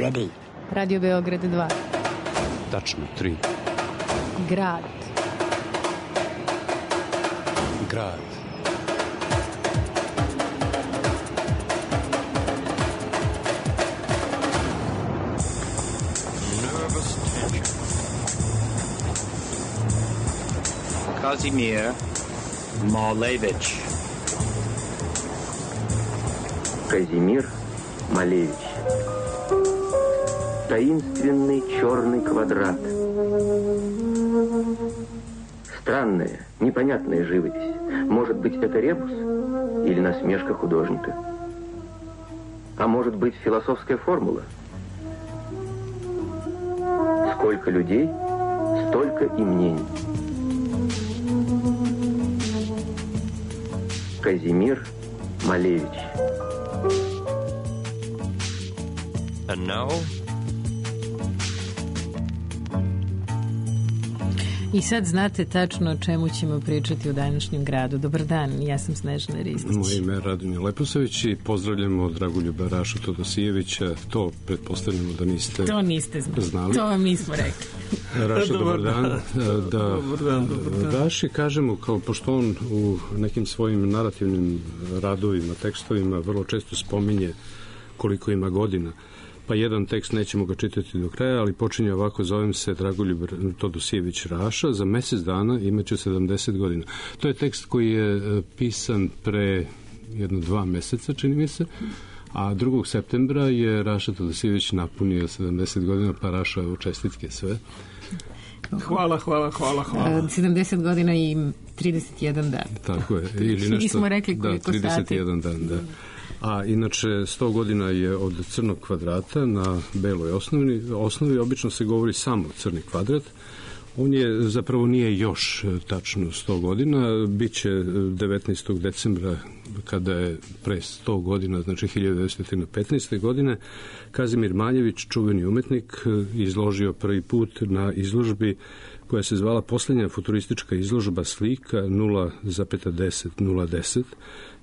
ready? Radio Beograd 2. Tačno 3. Grad. Grad. Nervous tension. Kazimir Malevich. Казимир Малевич. Таинственный черный квадрат. Странная, непонятная живопись. Может быть, это ребус или насмешка художника? А может быть, философская формула? Сколько людей, столько и мнений. Казимир Малевич. And now? I sad znate tačno o čemu ćemo pričati u današnjem gradu. Dobar dan, ja sam Snežana Ristić. Moje ime je Radomir Leposavić i pozdravljamo Dragoljuba Rašu Todosijevića. To pretpostavljamo da niste znali. To vam nismo rekli. Raša, dobar dan. Dobar dan. Raši kažemo, kao pošto on u nekim svojim narativnim radovima, tekstovima vrlo često spominje koliko ima godina. Pa jedan tekst, nećemo ga čitati do kraja, ali počinje ovako: zovem se Dragoljub Todosijević Raša, za mesec dana imaću 70 godina. To je tekst koji je pisan pre 1-2 meseca, čini mi se, a 2. septembra je Raša Todosijević napunio 70 godina, pa Raša, evo čestitke sve. Hvala. 70 godina i 31 dan. Tako je. Ili nešto, nismo rekli koliko sati. 31 dan, da. A inače 100 godina je od crnog kvadrata na beloj osnovi. Obično se govori samo crni kvadrat. On je, zapravo nije još tačno 100 godina, bit će 19. decembra, kada je pre 100 godina, znači 1915. godine, Kazimir Maljević, čuveni umetnik, izložio prvi put na izložbi koja se zvala Poslednja futuristička izložba slika 0,10.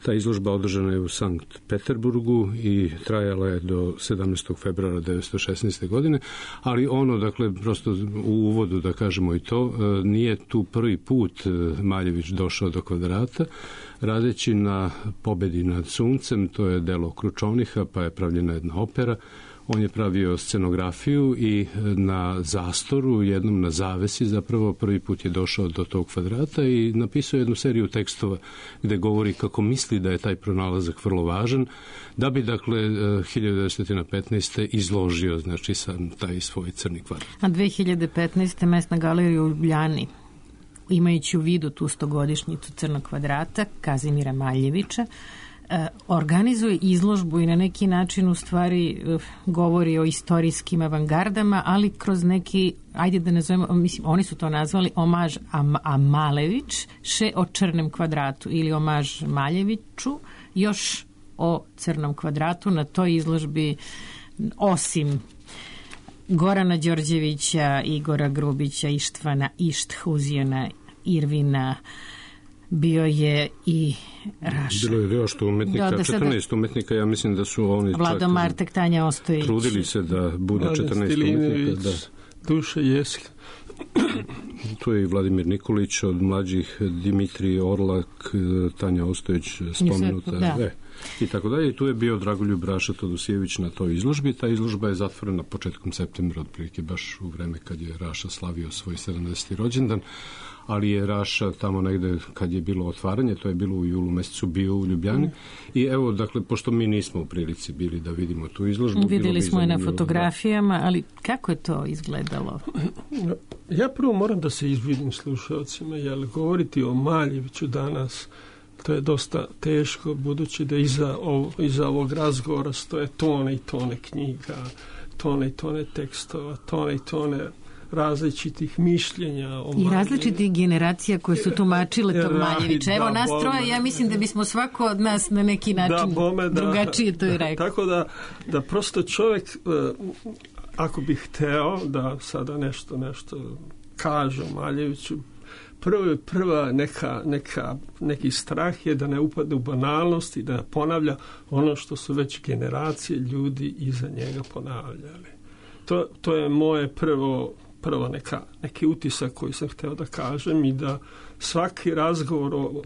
Ta izložba održana je u Sankt Peterburgu i trajala je do 17. februara 1916. godine, ali ono, dakle, prosto u uvodu da kažemo i to, nije tu prvi put Maljević došao do kvadrata, radeći na Pobedi nad suncem, to je delo Kručovniha, pa je pravljena jedna opera. On je pravio scenografiju i na zastoru, jednom na zavesi, zapravo prvi put je došao do tog kvadrata i napisao jednu seriju tekstova gde govori kako misli da je taj pronalazak vrlo važan, da bi, dakle, 1915. izložio, znači, sam taj svoj crni kvadrat. A 2015. Mesna galerija u Ljubljani, imajući u vidu tu 100-godišnjicu crnog kvadrata Kazimira Maljevića, organizuje izložbu i na neki način u stvari govori o istorijskim avangardama, ali kroz neki, ajde da nazovemo, mislim, oni su to nazvali omaž a Malević, še o crnem kvadratu ili omaž Maljeviću, još o crnom kvadratu. Na toj izložbi, osim Gorana Đorđevića, Igora Grubića, Ištvana Išthuzijana, Irvina, bio je i Raša. Bilo je još umetnika, 14 umetnika, ja mislim da su oni Vlado Martek, Tanja Ostojić. Trudili se da bude 14 umetnika. Da. Duša Jesk. Tu je i Vladimir Nikolić, od mlađih Dimitrij Orlak, Tanja Ostojić spomenuta. Da. I tako dalje. I tu je bio Dragoljub Raša Todosijević na toj izložbi. Ta izložba je zatvorena početkom septembra, otprilike baš u vreme kad je Raša slavio svoj 70. rođendan, ali je Raša tamo negde kad je bilo otvaranje, to je bilo u julu mesecu, bio u Ljubljani. I evo, dakle, pošto mi nismo u prilici bili da vidimo tu izložbu, videli smo je na fotografijama, ali kako je to izgledalo? Ja prvo moram da se izvinim slušalcima, jer govoriti o Maljeviću danas, to je dosta teško, budući da iza ovog razgovora stoje tone i tone knjiga, tone i tone tekstova, tone i tone različitih mišljenja o Maljeviću. I različitih generacija koje su tumačile tog Maljevića. Evo, nas troje, ja mislim da bismo svako od nas na neki način drugačije to i rekao. Tako da prosto čovjek, ako bi hteo da sada nešto kaže o Maljeviću, Prva neki strah je da ne upadne u banalnost i da ponavlja ono što su već generacije ljudi iza njega ponavljali. To je moje prvo neki utisak koji sam htio da kažem, i da svaki razgovor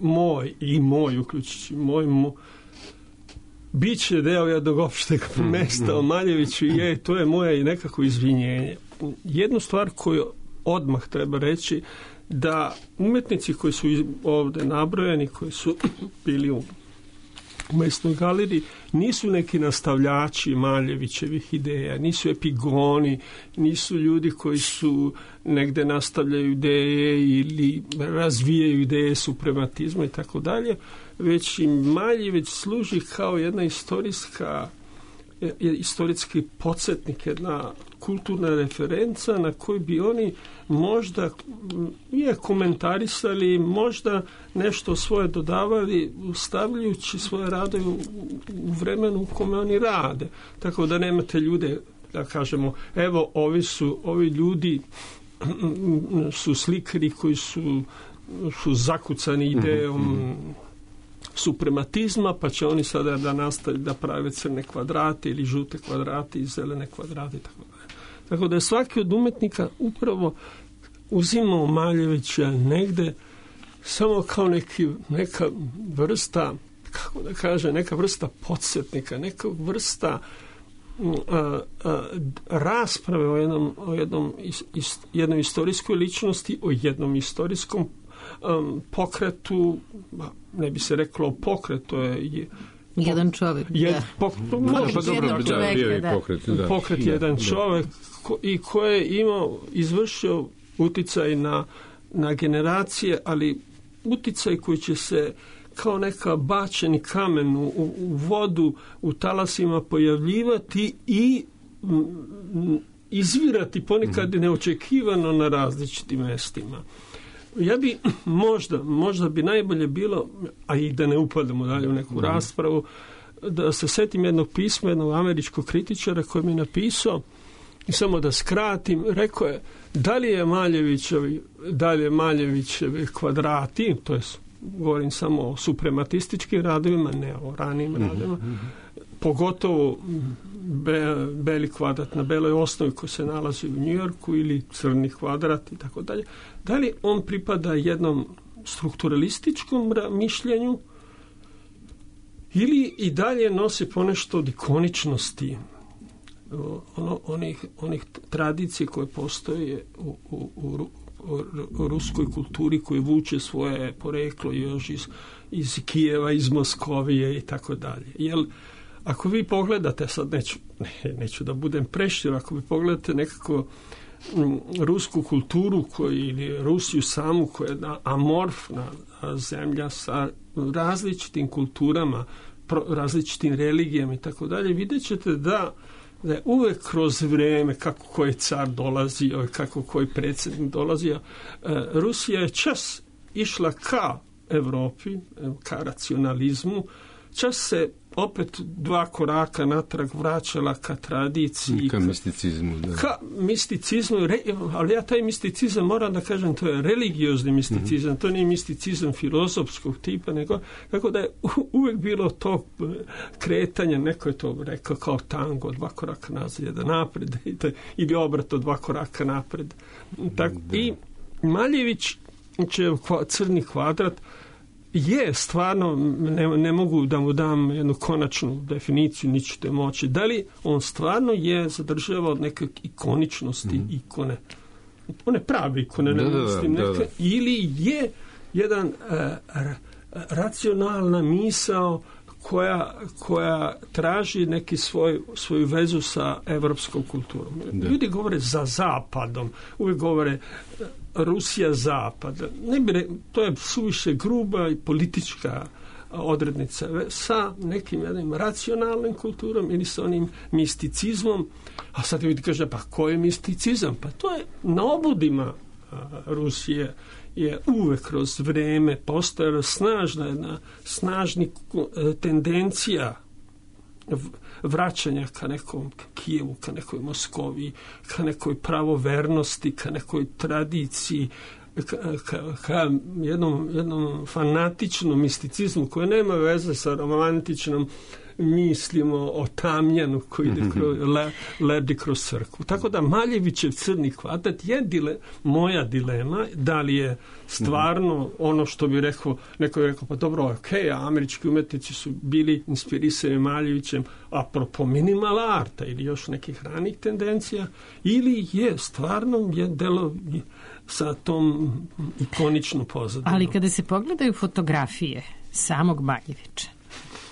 moj, uključujući bit će deo jednog opšteg mesta o Maljeviću, to je moje nekako izvinjenje. Jednu stvar koju odmah treba reći, da umetnici koji su ovdje nabrojani, koji su bili u Mesnoj galeriji, nisu neki nastavljači Maljevićevih ideja, nisu epigoni, nisu ljudi koji su negde nastavljaju ideje ili razvijaju ideje suprematizma i tako dalje, već im Maljević služi kao jedna istorijski podsjetnik, jedna kulturna referenca na koju bi oni možda komentarisali, možda nešto svoje dodavali, stavljajući svoje radove u vremenu u kome oni rade. Tako da nemate ljude, da kažemo, evo ovi ljudi su slikari koji su zakucani idejom suprematizma, pa će oni sada da nastaviti da prave crne kvadrate ili žute kvadrate i zelene kvadrate i tako dalje. Tako da je svaki od umetnika upravo uzimao Maljevića negde samo kao neka vrsta, kako da kaže, neka vrsta podsjetnika, neka vrsta rasprave o jednoj istorijskoj ličnosti, o jednom istorijskom pokretu, ne bi se reklo pokret, to je jedan čovjek. Pokret jedan čovjek i koji je izvršio uticaj na generacije, ali uticaj koji će se kao neka bačeni kamen u vodu, u talasima pojavljivati i izvirati ponekad neočekivano na različitim mestima. Ja bi možda bi najbolje bilo, a i da ne upadamo dalje u neku raspravu, da se setim jednog pisma jednog američkog kritičara koji mi je napisao, i samo da skratim, rekao je, da li je Maljevićevi kvadrati, to je, govorim samo o suprematističkim radovima, ne o ranijim radovima, pogotovo beli kvadrat na beloj osnovi koji se nalazi u Njujorku ili crni kvadrat i tako dalje. Da li on pripada jednom strukturalističkom mišljenju ili i dalje nosi ponešto od ikoničnosti onih tradicije koje postoje u ruskoj kulturi, koji vuče svoje poreklo još iz Kijeva, iz Moskovije i tako dalje. Jer ako vi pogledate, sad neću da budem prešir, ako vi pogledate nekako rusku kulturu ili Rusiju samu, koja je jedna amorfna zemlja sa različitim kulturama, različitim religijama i tako dalje, vidjet ćete da je uvek kroz vreme, kako koji car dolazio, kako koji predsjednik dolazio, Rusija je čas išla ka Evropi, ka racionalizmu, čas se opet 2 koraka natrag vraćala ka tradiciji. Ka misticizmu. Da. Ka misticizmu, ali ja taj misticizam moram da kažem, to je religiozni misticizam, to nije misticizam filozofskog tipa, nego tako da je uvek bilo to kretanje, neko je to rekao kao tango, 2 koraka nazad, 1 napred, ili obrato 2 koraka napred. I Maljević će crni kvadrat je stvarno, ne mogu da mu dam jednu konačnu definiciju, nićete moći. Da li on stvarno je zadržavao od neke ikoničnosti, ikone, one prave ikone, ili je jedan racionalna misao koja traži neki svoju vezu sa evropskom kulturom. Ljudi govore za zapadom, uvijek govore Rusija zapad. To je suviše gruba i politička odrednica sa nekim jednim racionalnim kulturom ili sa onim misticizmom. A sad ljudi kaže, pa ko je misticizam? Pa to je na obudima Rusije je uvek kroz vreme postojala snažna tendencija vraćanja ka nekom Kijevu, ka nekoj Moskovi, ka nekoj pravovernosti, ka nekoj tradiciji, ka jednom fanatičnom misticizmu koji nema veze sa romantičnom mislimo o tamjanu koji ide ledi kroz crkvu. Tako da Maljevićev Crni kvadrat je moja dilema, da li je stvarno ono što bi rekao, neko je rekao, pa dobro, okej, američki umetnici su bili inspirisani Maljevićem apropo minimal arta ili još nekih ranih tendencija, ili je stvarno je delo sa tom ikoničnom pozadinom. Ali kada se pogledaju fotografije samog Maljevića,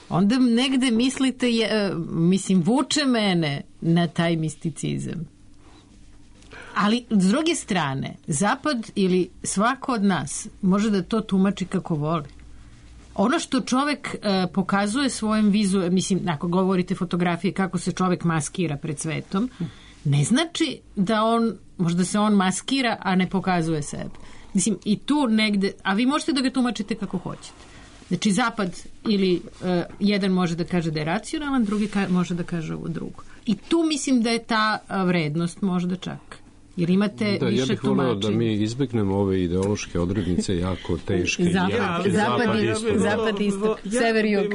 onda negde mislite, vuče mene na taj misticizam. Ali, s druge strane, Zapad ili svako od nas može da to tumači kako voli. Ono što čovek pokazuje svojim ako govorite fotografije kako se čovek maskira pred svetom, ne znači da možda se on maskira, a ne pokazuje sebe. I tu negde, a vi možete da ga tumačite kako hoćete. Znači, Zapad ili jedan može da kaže da je racionalan, drugi može da kaže ovo drugo. I tu mislim da je ta vrednost možda čak. Jer imate više tumačenja. Ja bih voleo da mi izbegnemo ove ideološke odrednice jako teške. Zapad isto. Sever i jug.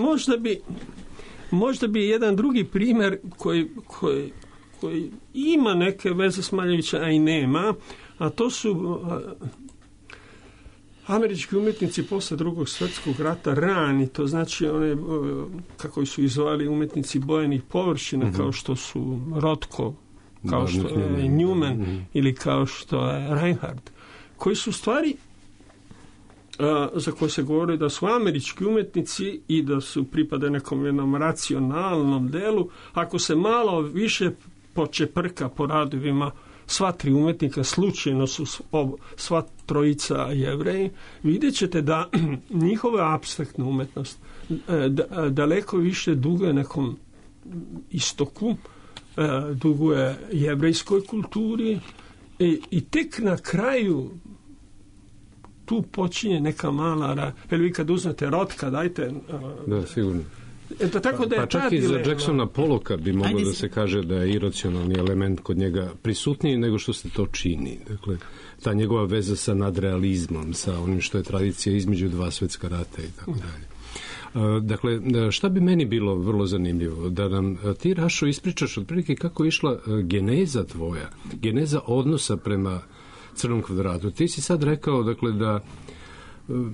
Možda bi jedan drugi primjer koji ima neke veze s Maljevića, a i nema, a to su američki umjetnici posle Drugog svjetskog rata rani, to znači one, kako su izvali umjetnici bojenih površina, kao što su Rothko, kao što je Newman ili kao što je Reinhardt, koji su stvari za koje se govori da su američki umjetnici i da su pripade nekom jednom racionalnom delu. Ako se malo više počeprka po radovima, sva tri umjetnika, slučajno su sva trojica Jevreji, vidjet ćete da njihova apstraktna umjetnost daleko više duguje nekom istoku, duguje jevrejskoj kulturi i tek na kraju tu počinje neka mala vi kad uzmete Rothka, dajte da, sigurno. Tako da je pa čak i za Jacksona Pollocka bi moglo da se kaže da je iracionalni element kod njega prisutniji nego što se to čini. Dakle, ta njegova veza sa nadrealizmom, sa onim što je tradicija između dva svjetska rata i tako dalje. Dakle, šta bi meni bilo vrlo zanimljivo? Da nam ti, Rašo, ispričaš otprilike kako je išla geneza tvoja, geneza odnosa prema Crnom kvadratu. Ti si sad rekao, dakle, da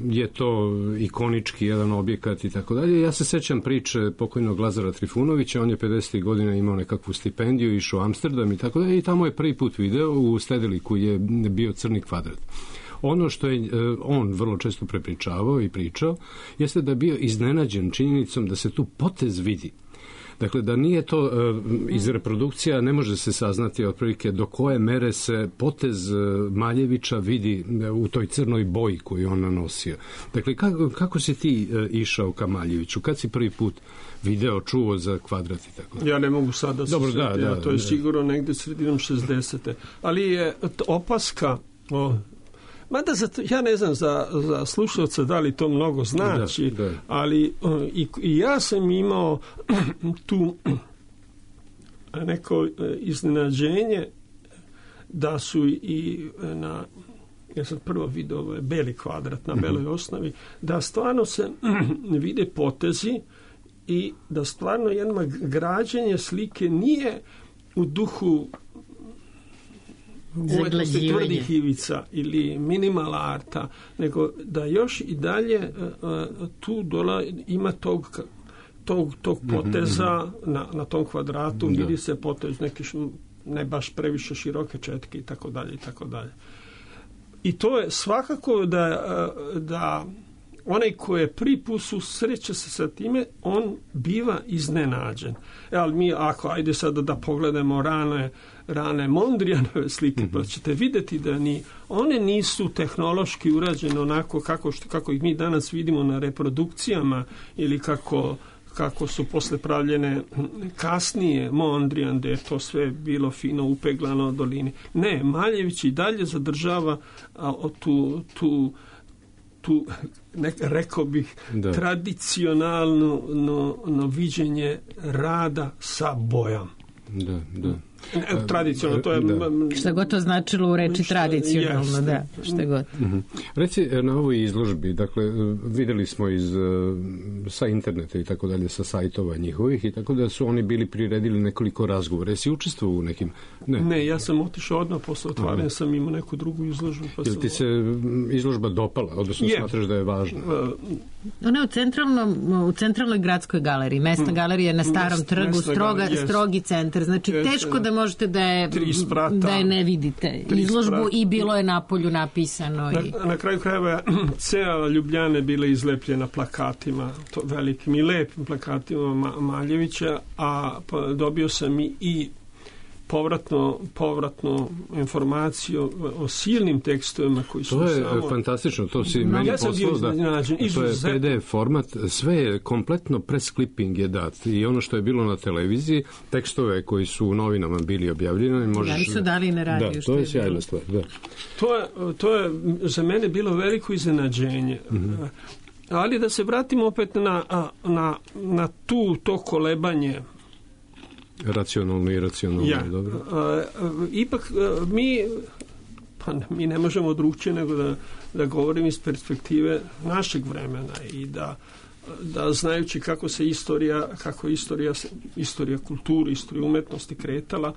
je to ikonički jedan objekat i tako dalje. Ja se sećam priče pokojnog Lazara Trifunovića, on je 50. godina imao nekakvu stipendiju, išao u Amsterdam i tako dalje i tamo je prvi put video u Stedeliku je bio Crni kvadrat. Ono što je on vrlo često prepričavao i pričao jeste da je bio iznenađen činjenicom da se tu potez vidi. Dakle, da nije to iz reprodukcija, ne može se saznati otprilike do koje mere se potez Maljevića vidi u toj crnoj boji koju on nanosio. Dakle, kako si ti išao ka Maljeviću? Kad si prvi put video, čuo za kvadrat i tako? Ja ne mogu sad da se sjetim, to je sigurno negde sredinom 60. Ali je opaska mada ja ne znam za slušalca da li to mnogo znači, ali i ja sam imao tu neko iznenađenje da su i ja sam prvo vidio beli kvadrat na beloj osnovi, da stvarno se vide potezi i da stvarno jedno građenje slike nije u duhu umetnosti tvrdih ivica ili minimal arta, nego da još i dalje tu ima tog poteza na tom kvadratu, vidi se potez neke ne baš previše široke četke i tako dalje i tako dalje. I to je svakako da onaj koji je prvi put susreće se sa time, on biva iznenađen. Ali mi, ajde sada da pogledamo rane Mondrianove slike, pa ćete vidjeti da one nisu tehnološki urađene onako kako ih mi danas vidimo na reprodukcijama ili kako su posle pravljene kasnije Mondrian, da je to sve bilo fino upeglano od dolini. Ne, Maljević i dalje zadržava tu rekao bih tradicionalno viđenje rada sa bojom. Tradicionalno, to je... Da. Šta god to značilo u reči tradicionalno, da, šta god. Reci, na ovoj izložbi, dakle, videli smo sa interneta i tako dalje, sa sajtova njihovih, i tako da su oni bili priredili nekoliko razgovora. Jesi učestvovao u nekim? Ne, ja sam otišao odmah posle otvaranja, sam imao neku drugu izložbu. Jel ti se izložba dopala, odnosno smatraš da je važna? Ona je u centralnoj gradskoj galeriji. Mesna galerija je na Starom trgu, strogi centar. Znači, teško da možete da je ne vidite izložbu i bilo je napolju napisano. Na kraju krajeva cela Ljubljana je bila izlepljena plakatima, velikim i lepim plakatima Maljevića, a dobio sam i povratnu informaciju o silnim tekstovima koji su to je fantastično, to si meni poslao to je PDF format, sve je kompletno press clipping je dat i ono što je bilo na televiziji, tekstove koji su u novinama bili objavljeni, možeš... Da, su dali na radiju. Da, to je sjajna stvar, da. To je za mene bilo veliko iznenađenje. Ali da se vratimo opet na to kolebanje racionalno i iracionalno, dobro. Ipak mi ne možemo drugčije nego da govorim iz perspektive našeg vremena i da znajući kako se istorija kulture, istorija umetnosti kretala,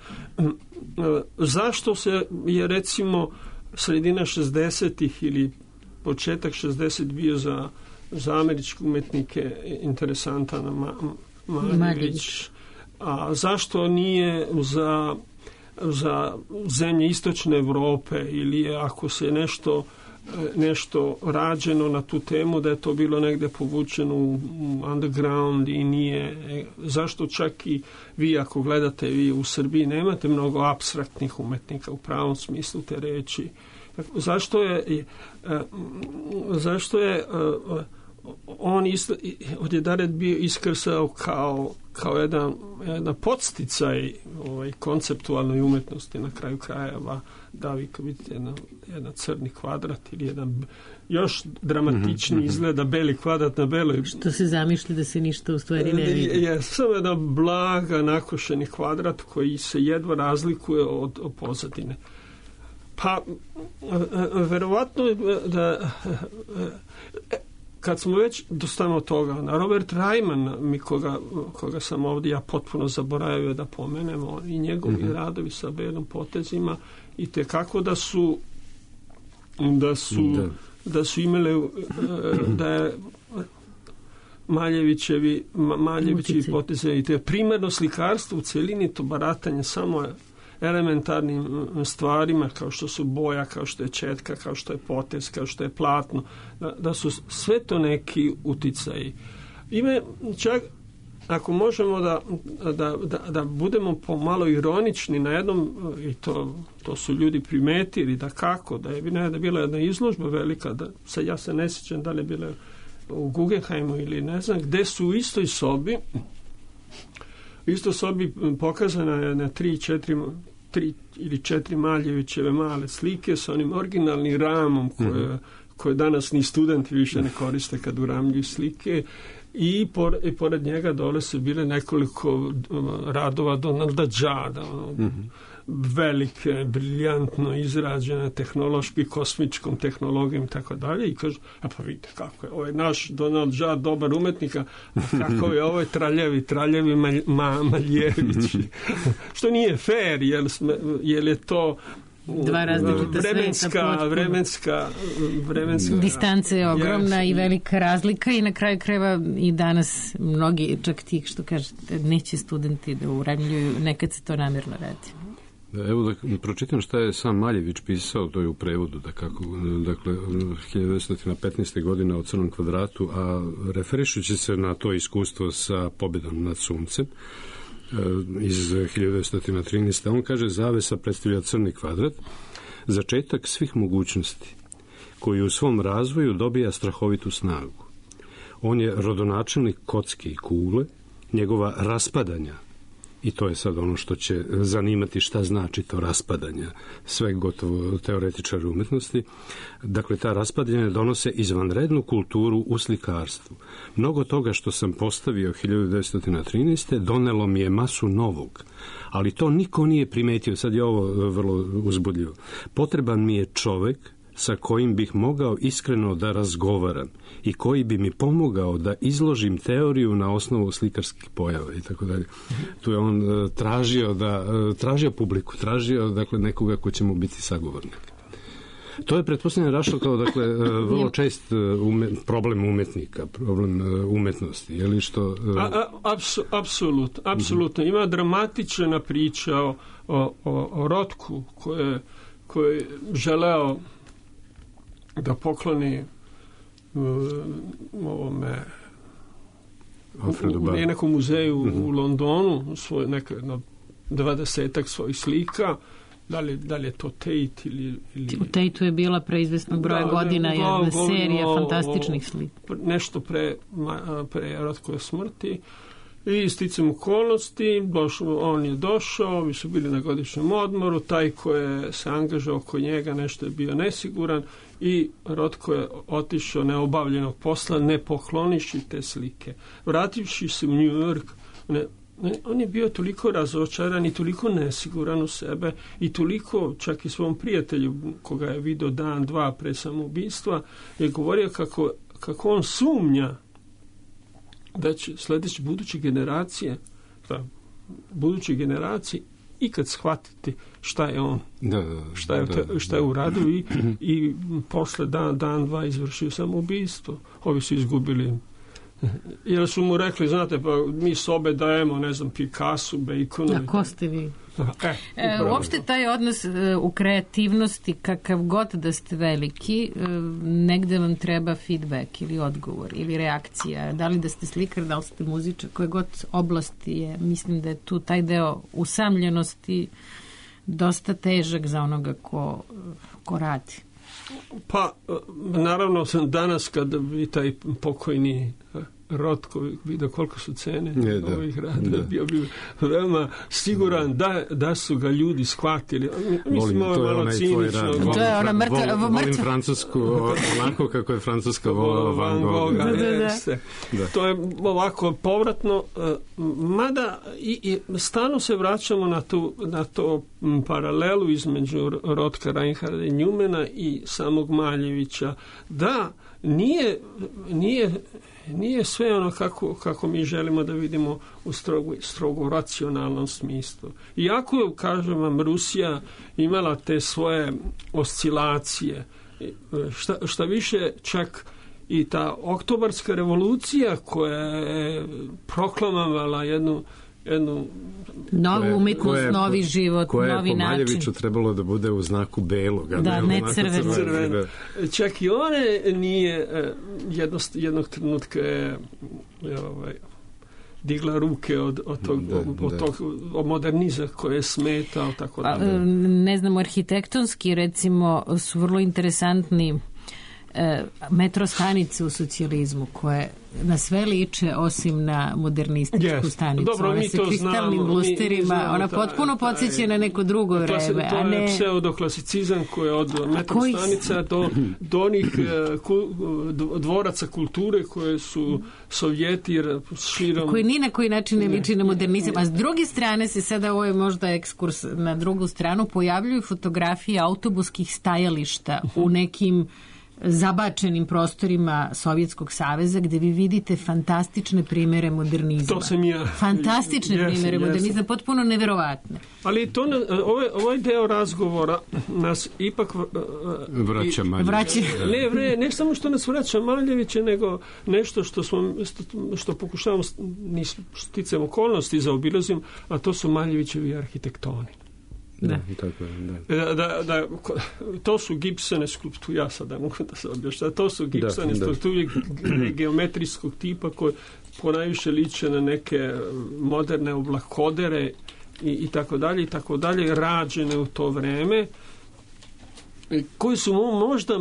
zašto se je recimo sredina 60-ih ili početak 60 bio za američke umetnike interesantan Maljević, a zašto nije za zemlje istočne Evrope ili ako se nešto rađeno na tu temu da je to bilo negde povučeno u underground i nije, zašto čak i vi ako gledate vi u Srbiji nemate mnogo apstraktnih umetnika u pravom smislu te reči. Zašto je on odjedared bio iskrsao kao jedna podsticaj konceptualnoj umetnosti na kraju krajeva, da vi kad vidite jedan crni kvadrat ili jedan još dramatični izgleda beli kvadrat na beloj. Što se zamišlja da se ništa u stvari ne vidi. Je samo jedan blaga nakošeni kvadrat koji se jedva razlikuje od pozadine. Pa verovatno da kad smo već dostanemo toga, na Robert Reimann, koga sam ovdje ja potpuno zaboravio da pomenemo, i njegovi radovi sa belim potezima, i tekako da su imali da je Maljevićevi poteze i te primarno slikarstvo u celini, to baratanje samo elementarnim stvarima kao što su boja, kao što je četka, kao što je potez, kao što je platno, da su sve to neki uticaji. Ime čak ako možemo da budemo pomalo ironični na jednom, i to su ljudi primetili da kako, da je bila jedna izložba velika, ja se ne sjećam da li je bila u Guggenheimu ili ne znam, gde su u istoj sobi pokazana je na 3 ili 4 Maljevićeve male slike sa onim originalnim ramom koje danas ni studenti više ne koriste kad uramljuju slike, i pored njega dole su bile nekoliko radova Donalda Juda, velike, briljantno izrađene tehnološki, kosmičkom tehnologijom i tako dalje, i kaže, pa vidite kako je, ovo je naš Donald Judd dobar umetnika, a kako je ovo traljevi Maljević. Što nije fair, jer je to vremenska distanca je ogromna i velika razlika, i na kraju krajeva i danas mnogi, čak ti što kažete, neće studenti da uramljuju, nekad se to namjerno radi. Evo da pročitam šta je sam Maljević pisao, to je u prevodu, dakle 1915. godine o Crnom kvadratu, a referišući se na to iskustvo sa pobjedom nad suncem iz 1913. On kaže, zavesa predstavlja crni kvadrat, začetak svih mogućnosti, koji u svom razvoju dobija strahovitu snagu. On je rodonačelnik kocke i kugle, njegova raspadanja i to je sad ono što će zanimati, šta znači to raspadanje sve gotovo teoretičara umetnosti. Dakle, ta raspadanja donose izvanrednu kulturu u slikarstvu. Mnogo toga što sam postavio 1913. donelo mi je masu novog, ali to niko nije primetio. Sad je ovo vrlo uzbudljivo. Potreban mi je čovek sa kojim bih mogao iskreno da razgovaram i koji bi mi pomogao da izložim teoriju na osnovu slikarskih pojava i tako dalje. Tu je on tražio publiku, tražio dakle nekoga ko će mu biti sagovornik. To je pretpostavljeno Rašel kao dakle vrlo čest problem umetnika, problem umetnosti, je li što apsolutno. Ima dramatična priča o Rotku koji je želeo da pokloni u nekom muzeju u Londonu svoj jedno 20-ak svojih slika. Da li je to Tate ili... U Tateu je bila pre izvesnog broja godina jedna serija fantastičnih slika. Nešto pre Rotkove smrti. I sticam okolnosti, on je došao, mi su bili na godišnjem odmoru, taj ko je se angažao oko njega, nešto je bio nesiguran i Rotko je otišao neobavljenog posla, ne pokloniši te slike. Vrativši se u New York, on je bio toliko razočaran i toliko nesiguran u sebe i toliko, čak i svom prijatelju koga je vidio dan, dva pre samoubistva, je govorio kako on sumnja da će sljedeće buduće generacije ikad shvatiti šta je on, šta je uradio i posle dan, dva izvršio samoubistvo. Ovi su izgubili, jer su mu rekli, znate, pa mi sobe dajemo, ne znam, Picasso, Baconu. A ko ste vi? Uopšte taj odnos u kreativnosti, kakav god da ste veliki, negde vam treba feedback ili odgovor ili reakcija. Da li da ste slikar, da li ste muzičar, koje god oblasti je. Mislim da je tu taj deo usamljenosti dosta težak za onoga ko radi. Pa, naravno, danas kada bi taj pokojni Rotko vidio koliko su cene ovih rada, bio bi veoma siguran da su ga ljudi shvatili. Mislim, ovo je malo cinično. To je ona mrtva. Volim Francusku, onako kako je Francuska volila Van Gogha. To je ovako povratno, mada i stalno se vraćamo na to paralelu između Rotka, Reinharda i Njumena i samog Maljevića. Da, nije sve ono kako mi želimo da vidimo u strogo racionalnom smislu. Iako je, kažem vam, Rusija imala te svoje oscilacije, šta više čak i ta oktobarska revolucija koja je proklamovala jednu novu umetnost, novi život, novi način. Koje je po Maljeviću trebalo da bude u znaku belog. Da, ne crveno. Čak i one nije jednog trenutka digla ruke od tog moderniza koje je smetao, tako da. Ne znam, arhitektonski recimo su vrlo interesantni metro stanice u socijalizmu koje na sve liče osim na modernističku stanicu. Dobro, one se kristalnim lusterima, ona potpuno podsjeća na neko drugo vreme. To je pseudoklasicizam koji je od metro stanica do onih dvoraca kulture koje su Sovjeti širom... Koji ni na koji način ne liči na modernizam. A s druge strane se sada, ovo je možda ekskurs na drugu stranu, pojavljuju fotografije autobuskih stajališta u nekim zabačenim prostorima Sovjetskog saveza gde vi vidite fantastične primere modernizma. To sam ja. Fantastične primere modernizma, potpuno neverovatne. Ali to ovaj deo razgovora nas ipak vraća Maljevića. Ne samo što nas vraća Maljevića, nego nešto što pokušavamo sticajem okolnosti zaobilazim, a to su Maljevićevi arhitektoni. Da. To su gipsane skulpture, ja sada mogu da se objašnjam, to su gipsane skulpture geometrijskog tipa koje ponajviše liče na neke moderne oblakodere i tako dalje, rađene u to vreme, koji su možda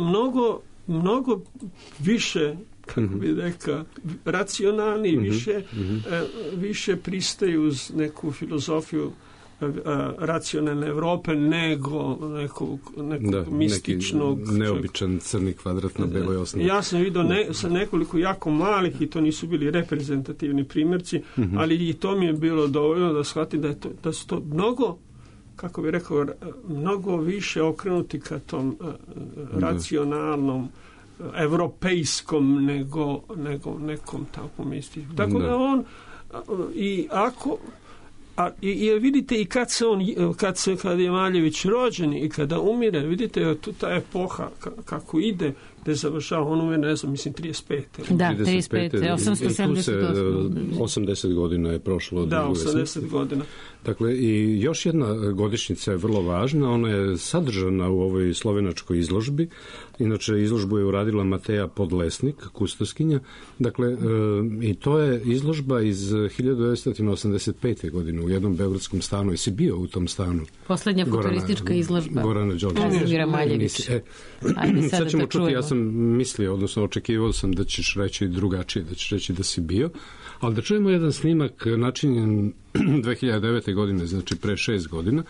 mnogo više kako bi rekao, racionalni, više pristaju uz neku filozofiju racionalne Evrope nego nekog mističnog... Neki neobičan crni kvadrat na beloj osnovi. Ja sam vidio sa nekoliko jako malih, i to nisu bili reprezentativni primjerci, ali i to mi je bilo dovoljno da shvatim da su to mnogo, kako bi rekao, mnogo više okrenuti ka tom racionalnom, evropejskom nego nekom takvom mističnom. Tako da on i vidite i kad je Maljević rođen i kada umire, vidite tu ta epoha kako ide, gde završava, on umire, ne znam, mislim 35. Da, 35. 878. 80 godina je prošlo od njegove smrti. 80 godina. Dakle, i još jedna godišnjica je vrlo važna, ona je sadržana u ovoj slovenačkoj izložbi. Inače, izložbu je uradila Mateja Podlesnik, kustoskinja. Dakle, i to je izložba iz 1985. godine u jednom beogradskom stanu. Jesi bio u tom stanu? Poslednja futuristička izložba. Gorana Đorđevića. Kazimira Maljevića. Sad ćemo čuti, ja sam mislio, odnosno očekivao sam da ćeš reći drugačije, da ćeš reći da si bio. Ali da čujemo jedan snimak načinjen 2009. godine, znači pre 6 godina,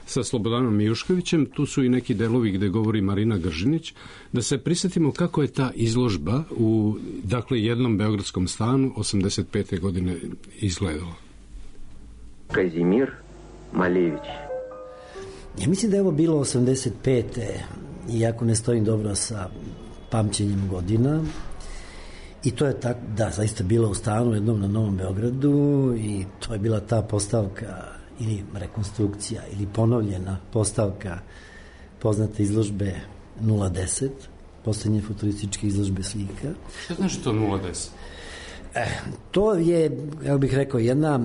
sa Slobodanom Mijuškovićem. Tu su i neki delovi gde govori Marina Gržinić. Da se prisjetimo kako je ta izložba u, dakle, jednom beogradskom stanu 85. godine izgledala. Kazimir Maljević. Ja mislim da je ovo bilo 85. iako ne stojim dobro sa pamćenjem godina. I to je tako, da, zaista bilo u stanu jednom na Novom Beogradu i to je bila ta postavka ili rekonstrukcija ili ponovljena postavka poznate izložbe 010, poslednje futurističke izložbe slika. Šta znači to 010? To je, ja bih rekao, jedna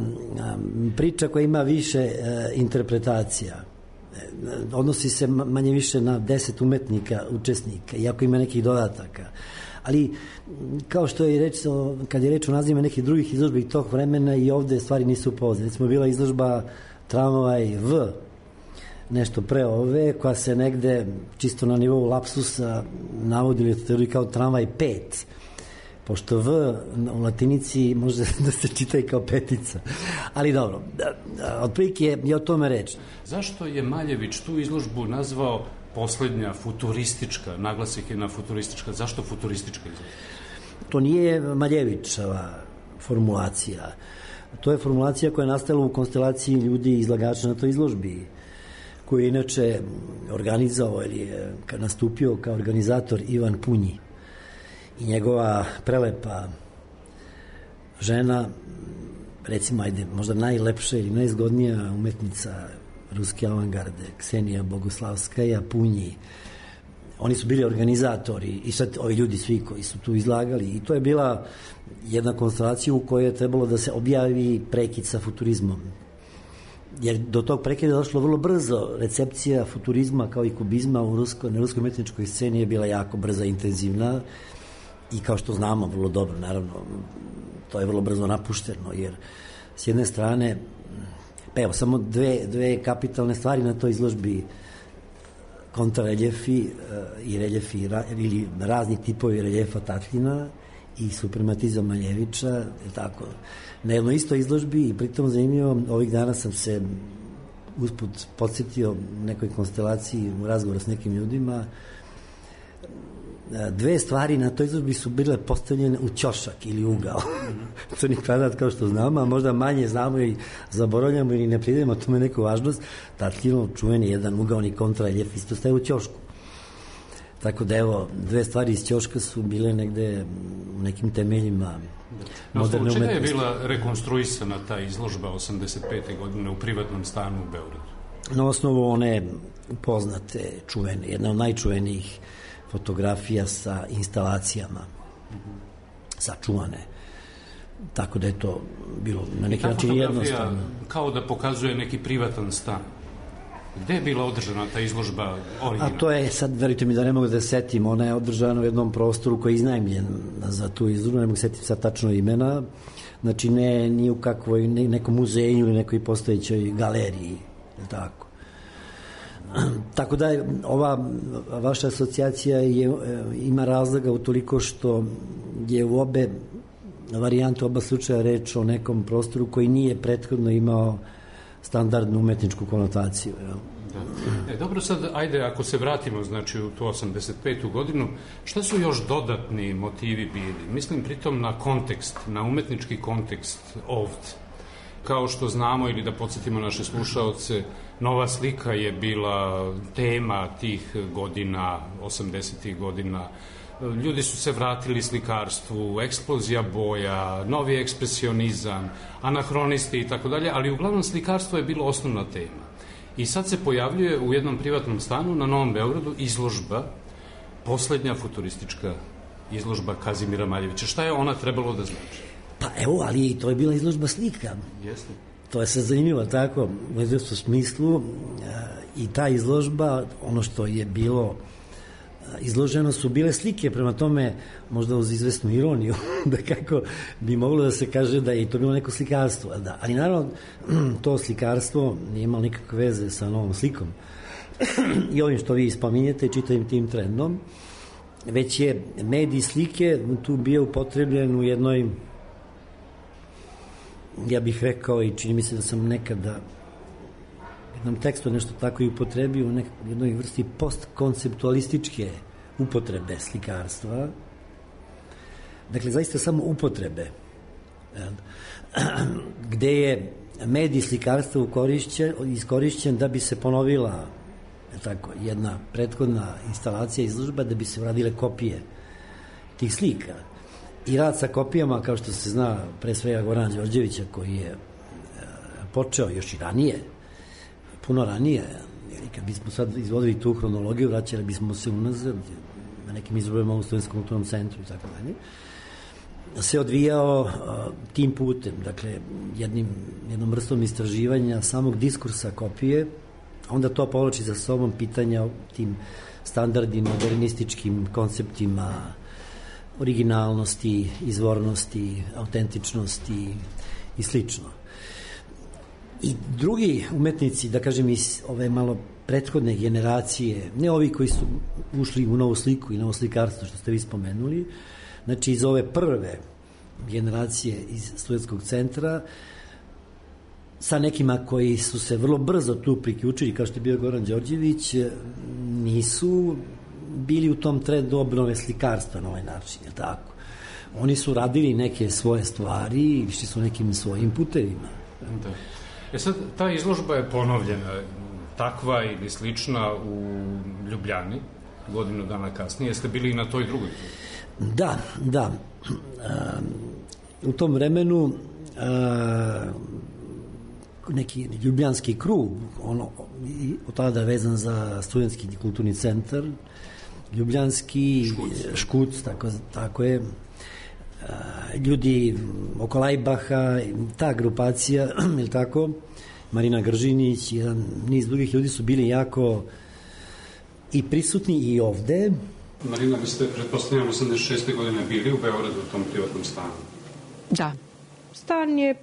priča koja ima više interpretacija. Odnosi se manje više na 10 umetnika, učesnika, iako ima nekih dodataka. Ali, kao što je reč, kad je reč o nazivima nekih drugih izložbi tog vremena, i ovde stvari nisu poznate. Recimo, bila izložba Tramvaj V, nešto pre ove, koja se negde, čisto na nivou lapsusa, navodi u literaturi kao Tramvaj 5, pošto V u latinici može da se čita i kao petica. Ali dobro, otprilike je o tome reč. Zašto je Maljević tu izložbu nazvao poslednja futuristička, naglasik je na futuristička? Zašto futuristička izložba? To nije Maljevićeva formulacija. To je formulacija koja je nastala u konstelaciji ljudi izlagača na toj izložbi, koji je inače organizovao ili je nastupio kao organizator Ivan Punji i njegova prelepa žena, recimo, ajde, možda najlepša ili najzgodnija umetnica ruske avangarde, Ksenija Boguslavskaja, Punji. Oni su bili organizatori i sad ovi ljudi svi koji su tu izlagali, i to je bila jedna konstelacija u kojoj je trebalo da se objavi prekid sa futurizmom. Jer do tog prekida je došlo vrlo brzo. Recepcija futurizma kao i kubizma na ruskoj umetničkoj sceni je bila jako brza i intenzivna, i kao što znamo vrlo dobro, naravno, to je vrlo brzo napušteno, jer s jedne strane, pa evo, samo dve kapitalne stvari na toj izložbi: kontrareljefi i reljefi ili razni tipovi reljefa Tatljina i suprematizam Maljevića, je tako, na jednoj istoj izložbi. I pritom zanimljivo, ovih dana sam se usput podsjetio nekoj konstelaciji u razgovoru s nekim ljudima. Dve stvari na toj izložbi su bile postavljene u ćošak ili ugao. Crni kvadrat, kao što znamo, a možda manje znamo i zaboravljamo ili ne pridajemo tome neku važnost. Tatljinov čuveni jedan ugaoni kontrareljef isto staje u ćošku. Tako da, evo, dve stvari iz ćoška su bile negde u nekim temeljima moderne umetnosti. Čega je bila rekonstruisana ta izložba 85. godine u privatnom stanu u Beogradu? Na osnovu one poznate, čuvene, jedna od najčuvenijih fotografija sa instalacijama sačuvane. Tako da je to bilo na neki način jednostavno. Kao da pokazuje neki privatan stan. Gde je bila održana ta izložba originalna? A to je, sad verujte mi da ne mogu da setim, ona je održana u jednom prostoru koji je iznajmljen za tu izložbu, ne mogu setiti sad tačno imena, znači ne ni u kakvoj nekom muzeju ili nekoj postojećoj galeriji, tako. Tako da ova vaša asocijacija ima razloga utoliko što je u obe varijante, oba slučaja reč o nekom prostoru koji nije prethodno imao standardnu umetničku konotaciju. Da. Dobro, sad, ajde, ako se vratimo, znači, u tu 85. godinu, šta su još dodatni motivi bili? Mislim pritom na kontekst, na umetnički kontekst ovdje. Kao što znamo, ili da podsjetimo naše slušaoce, Nova slika je bila tema tih godina, 80. godina. Ljudi su se vratili slikarstvu, eksplozija boja, novi ekspresionizam, anahronisti i tako dalje, ali uglavnom slikarstvo je bilo osnovna tema. I sad se pojavljuje u jednom privatnom stanu na Novom Beogradu izložba, poslednja futuristička izložba Kazimira Maljevića. Šta je ona trebalo da znači? Pa evo, ali to je bila izložba slika. Jeste. To je sad zanimljivo, tako, u izvjesnom smislu, i ta izložba, ono što je bilo izloženo su bile slike, prema tome možda uz izvesnu ironiju da kako bi moglo da se kaže da je to bilo neko slikarstvo, da. Ali naravno to slikarstvo nije imalo nikakve veze sa novom slikom i ovim što vi spominjete, čitavim tim trendom, već je medij slike tu bio upotrebljen u jednoj, ja bih rekao, i čini mi se da sam nekada jednom tekstu nešto tako i upotrebio u jednoj vrsti postkonceptualističke upotrebe slikarstva. Dakle, zaista samo upotrebe. Gde je medij slikarstva iskorišćen da bi se ponovila tako, jedna prethodna instalacija izložba, da bi se uradile kopije tih slika. I rad sa kopijama, kao što se zna, pre svega Gorana Đorđevića, koji je počeo još i ranije, puno ranije, jer kad bismo sad izvodili tu hronologiju, vraćali bismo se unazad na nekim izložbama u Studenskom kulturnom centru i tako dalje, se odvijao tim putem, dakle, jednom vrstom istraživanja samog diskursa kopije, onda to povlači za sobom pitanja o tim standardnim, modernističkim konceptima originalnosti, izvornosti, autentičnosti i slično. I drugi umetnici, da kažem iz ove malo prethodne generacije, ne ovi koji su ušli u novu sliku i novo slikarstvo, što ste vi spomenuli, znači iz ove prve generacije iz Studentskog centra, sa nekima koji su se vrlo brzo tu priključili, kao što je bio Goran Đorđević, nisu bili u tom trendu obnove slikarstva na ovaj način, je tako? Oni su radili neke svoje stvari i išli su nekim svojim putevima. Da. Sad, ta izložba je ponovljena, takva ili slična u Ljubljani, godinu dana kasnije. Jeste bili i na toj drugoj? Da. U tom vremenu neki ljubljanski krug, od tada vezan za Studentski kulturni centar, ljubljanski Škuc, tako je, ljudi oko Lajbaha, ta grupacija, je li tako, Marina Gržinić, jedan niz drugih ljudi su bili jako i prisutni i ovde. Marina, vi ste, pretpostavljam, 86. godine bili u Beogradu u tom privatnom stanu. Da. Stan je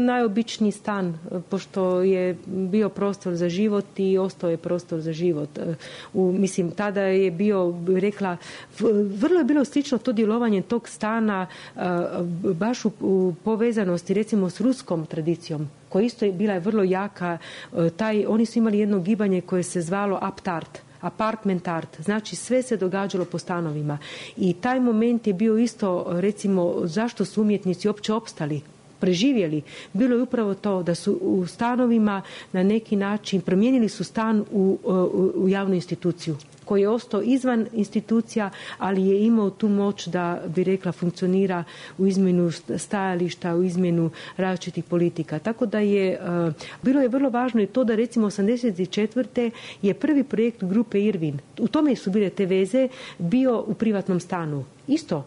najobičniji stan, pošto je bio prostor za život i ostao je prostor za život. Mislim, tada je bio, rekla, vrlo je bilo slično to djelovanje tog stana baš u povezanosti, recimo, s ruskom tradicijom, koja isto je bila vrlo jaka. Oni su imali jedno gibanje koje se zvalo aptart. Apartment art, znači sve se događalo po stanovima i taj moment je bio isto, recimo, zašto su umjetnici uopće opstali, preživjeli, bilo je upravo to da su u stanovima na neki način promijenili su stan u javnu instituciju koji je ostao izvan institucija, ali je imao tu moć da, bi rekla, funkcionira u izmjenu stajališta, u izmjenu različitih politika. Tako da je, bilo je vrlo važno i to da, recimo, 84. je prvi projekt grupe Irvin, u tome su bile te veze, bio u privatnom stanu. Isto,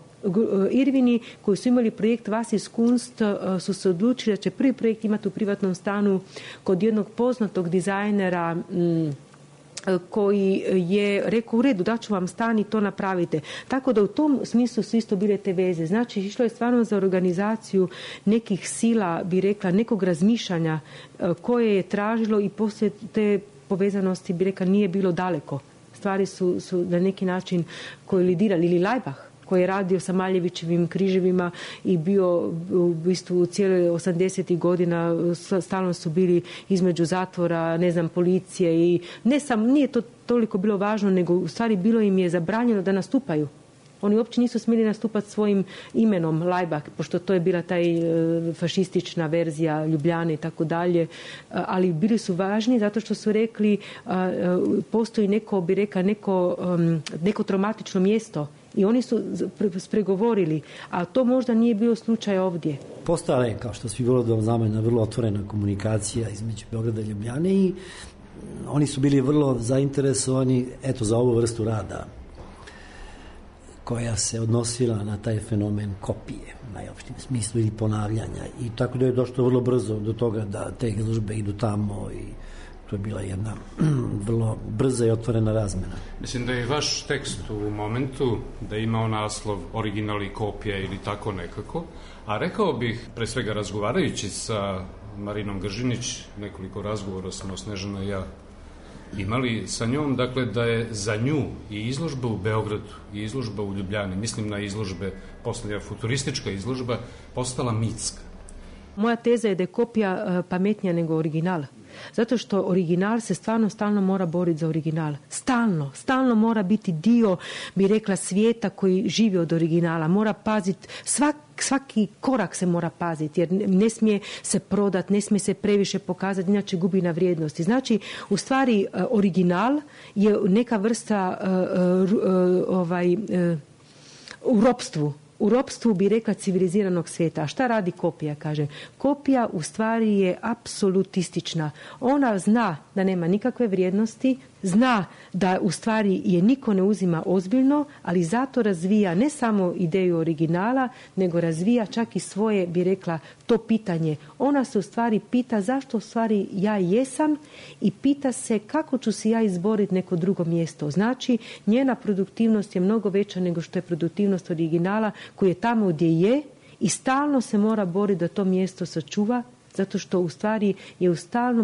Irvini koji su imali projekt Vasis Kunst su se odlučili da će prvi projekt imati u privatnom stanu kod jednog poznatog dizajnera koji je rekao, u redu, daću vam stan i to napravite. Tako da u tom smislu su isto bile te veze. Znači, išlo je stvarno za organizaciju nekih sila, bi rekla, nekog razmišljanja koje je tražilo i poslije te povezanosti, bi rekla, nije bilo daleko. Stvari su na neki način kolidirali. Ili Laibach, koji je radio sa Maljevićevim križevima i bio u bistvu cijele 80. godina, stalno su bili između zatvora, policije i nije to toliko bilo važno, nego u stvari bilo im je zabranjeno da nastupaju. Oni uopće nisu smjeli nastupati svojim imenom Laibach, pošto to je bila taj fašistična verzija Ljubljane i tako dalje, ali bili su važni zato što su rekli postoji neko traumatično mjesto i oni su spregovorili, a to možda nije bio slučaj ovdje. Postala je, kao što svi vrlo znamo, jedna vrlo otvorena komunikacija između Beograda i Ljubljane i oni su bili vrlo zainteresovani za ovu vrstu rada koja se odnosila na taj fenomen kopije, najopštijem smislu, ili ponavljanja. I tako da je došlo vrlo brzo do toga da te izložbe idu tamo i to je bila jedna vrlo brza i otvorena razmena. Mislim da je vaš tekst u momentu da je imao naslov original i kopija ili tako nekako, a rekao bih, pre svega razgovarajući sa Marinom Gržinić, nekoliko razgovora smo Snežana i ja imali sa njom, dakle da je za nju i izložba u Beogradu i izložba u Ljubljani, mislim na izložbe, posljednja futuristička izložba, postala mitska. Moja teza je da je kopija pametnija nego original. Zato što original se stalno mora boriti za original. Stalno mora biti dio, bi rekla, svijeta koji živi od originala. Mora paziti, svaki korak se mora paziti, jer ne smije se prodati, ne smije se previše pokazati, inače gubi na vrijednosti. Znači, u stvari, original je neka vrsta u ropstvu bi rekla civiliziranog svijeta. A šta radi kopija, kaže? Kopija u stvari je apsolutistična. Ona zna da nema nikakve vrijednosti, zna da u stvari je niko ne uzima ozbiljno, ali zato razvija ne samo ideju originala, nego razvija čak i svoje, bi rekla, to pitanje. Ona se u stvari pita zašto u stvari ja jesam i pita se kako ću si ja izboriti neko drugo mjesto. Znači, njena produktivnost je mnogo veća nego što je produktivnost originala koji je tamo gdje je i stalno se mora boriti da to mjesto sačuva, zato što u stvari je u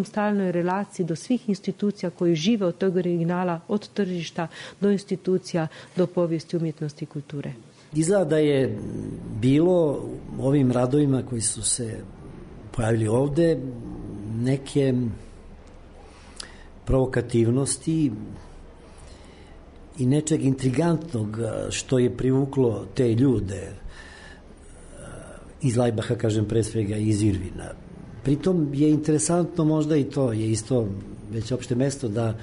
stalnoj relaciji do svih institucija koji žive od tog originala, od tržišta do institucija, do povijesti, umjetnosti i kulture. Izgleda da je bilo ovim radovima koji su se pojavili ovde neke provokativnosti i nečeg intrigantnog što je privuklo te ljude iz Laibacha, kažem, pre svega iz Irvina. Pritom je interesantno možda i to, je isto već opšte mesto da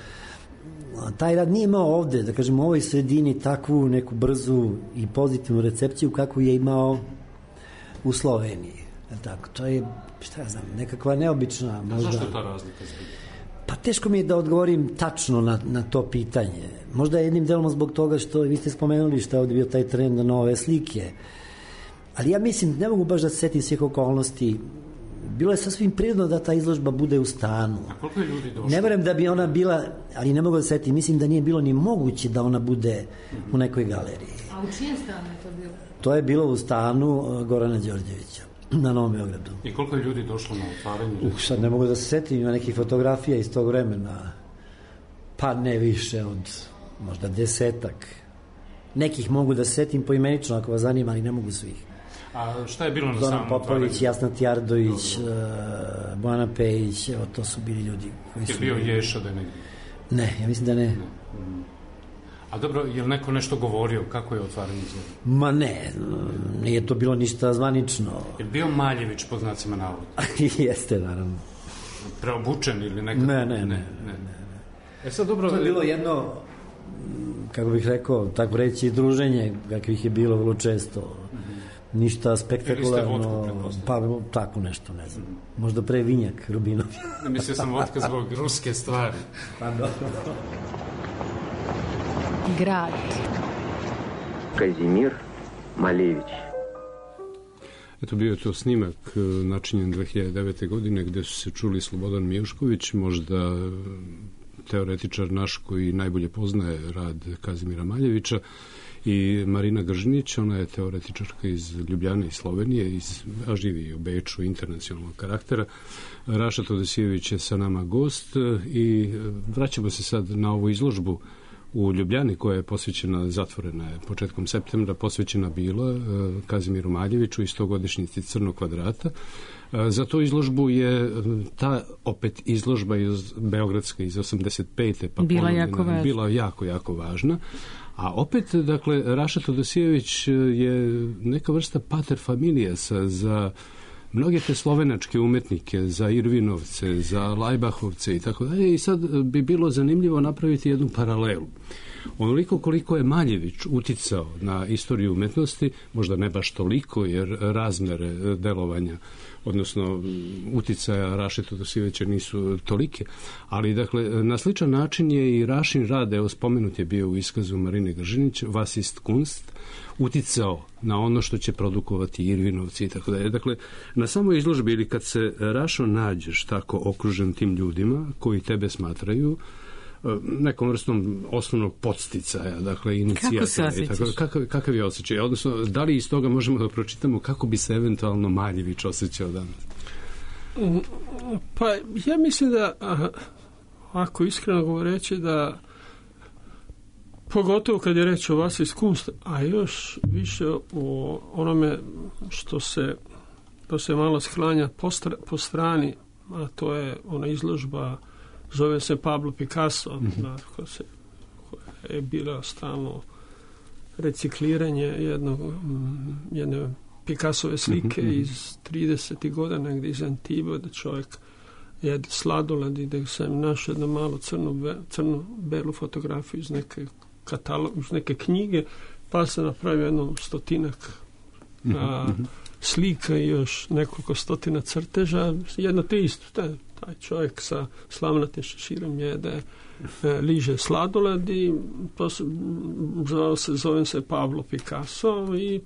taj rad nije imao ovde, da kažem, u ovoj sredini takvu neku brzu i pozitivnu recepciju kakvu je imao u Sloveniji. Tako, to je, šta ja znam, nekakva neobična možda. Zašto ta razlika zbog? Pa teško mi je da odgovorim tačno na to pitanje. Možda jednim delom zbog toga što vi ste spomenuli što je ovde bio taj trend na nove slike. Ali ja mislim, ne mogu baš da se setim svih okolnosti. Bilo je sasvim prirodno da ta izložba bude u stanu. A koliko je ljudi došlo? Ne verujem da bi ona bila, ali ne mogu da se setim, mislim da nije bilo ni moguće da ona bude u nekoj galeriji. A u čijem stanu je to bilo? To je bilo u stanu Gorana Đorđevića na Novom Beogradu. I koliko je ljudi došlo na otvaranje? Sad ne mogu da se setim, ima nekih fotografija iz tog vremena, pa ne više od možda 10-ak. Nekih mogu da se setim poimenično ako vas zanima, ali ne mogu svih. A šta je bilo na samom otvaranju? Zoran Popović, Jasna Tjardović, Bojana Pejić, evo to su bili ljudi koji su... Je bio Ješa da je negdje? Ne, ja mislim da ne. A dobro, je li neko nešto govorio? Kako je otvaranje izgleda? Ma ne, nije to bilo ništa zvanično. Je li bio Maljević pod znacima navoda? Jeste, naravno. Preobučen ili nekako? Ne. Sad dobro... To je bilo jedno, kako bih rekao, tako reći, druženje, kakvih je bilo vrlo često. Ništa spektakularno, pa tako nešto, ne znam. Možda pre vinjak Rubinov. Mislio sam vodka zbog ruske stvari. Pa dobro. Grad. Казимир Малевич. Eto, bio je to snimak načinjen 2009. godine gde su se čuli Slobodan Mijušković, možda teoretičar naš koji najbolje poznaje rad Kazimira Maljevića, i Marina Gržinić, ona je teoretičarka iz Ljubljane i Slovenije, a živi u Beču, internacionalnog karaktera. Raša Todosijević je sa nama gost i vraćamo se sad na ovu izložbu u Ljubljani koja je posvećena, zatvorena je početkom septembra, posvećena bila Kazimiru Maljeviću i 100-godišnjici Crnog kvadrata. Za tu izložbu je ta opet izložba beogradska iz 85. pa bila jako važna. A opet, dakle, Raša Todosijević je neka vrsta pater familijasa za mnoge te slovenačke umetnike, za Irvinovce, za Lajbahovce i tako dalje. I sad bi bilo zanimljivo napraviti jednu paralelu. Onoliko koliko je Maljević uticao na istoriju umetnosti, možda ne baš toliko, jer razmere delovanja, odnosno uticaja Raše Todosijevića nisu tolike, ali dakle na sličan način je i Rašin rad, evo spomenut je bio u iskazu Marine Gržinić, Was ist Kunst, uticao na ono što će produkovati Irvinovci i tako dalje. Dakle, na samoj izložbi ili kad se, Rašo, nađeš tako okružen tim ljudima koji tebe smatraju nekom vrstom osnovnog podsticaja, dakle inicijatora. Kakav je osjećaj? Odnosno, da li iz toga možemo da pročitamo kako bi se eventualno Maljević osjećao danas? Pa ja mislim da, ako iskreno govoreći, da pogotovo kad je reč o vas iz Kunst, a još više o onome što se malo sklanja po strani, a to je ona izložba, zove se Pablo Picasso, koja je bila stalno recikliranje jedne Picassove slike iz 30. godina, negdje iz Antiba, da čovjek jede sladoled i da sam našao jednu malu crno-belu fotografiju iz neke knjige, pa se napravio jedno 100 slika i još nekoliko stotina crteža, jedno te isto, taj čovjek sa slavnatim šeširom jede, liže sladoled i zovem se Pablo Picasso i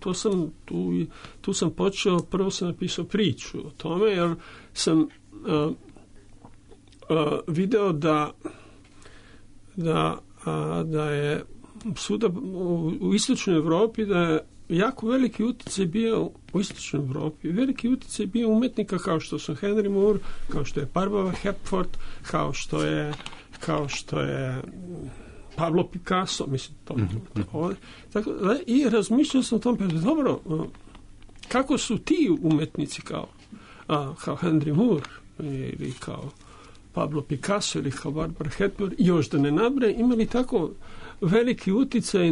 tu sam počeo, prvo sam napisao priču o tome, jer sam video da je svuda u istočnoj Evropi, da je jako veliki utjecaj bio u istočnoj Evropi. Veliki utjecaj bio umetnika kao što su Henry Moore, kao što je Barbara Hepworth, kao što je Pablo Picasso, mislim to. Tako, i razmišljao sam o tom, dobro, kako su ti umetnici kao Henry Moore ili kao Pablo Picasso ili kao Barbara Hepworth, još da ne nabraje, imali tako veliki utjecaj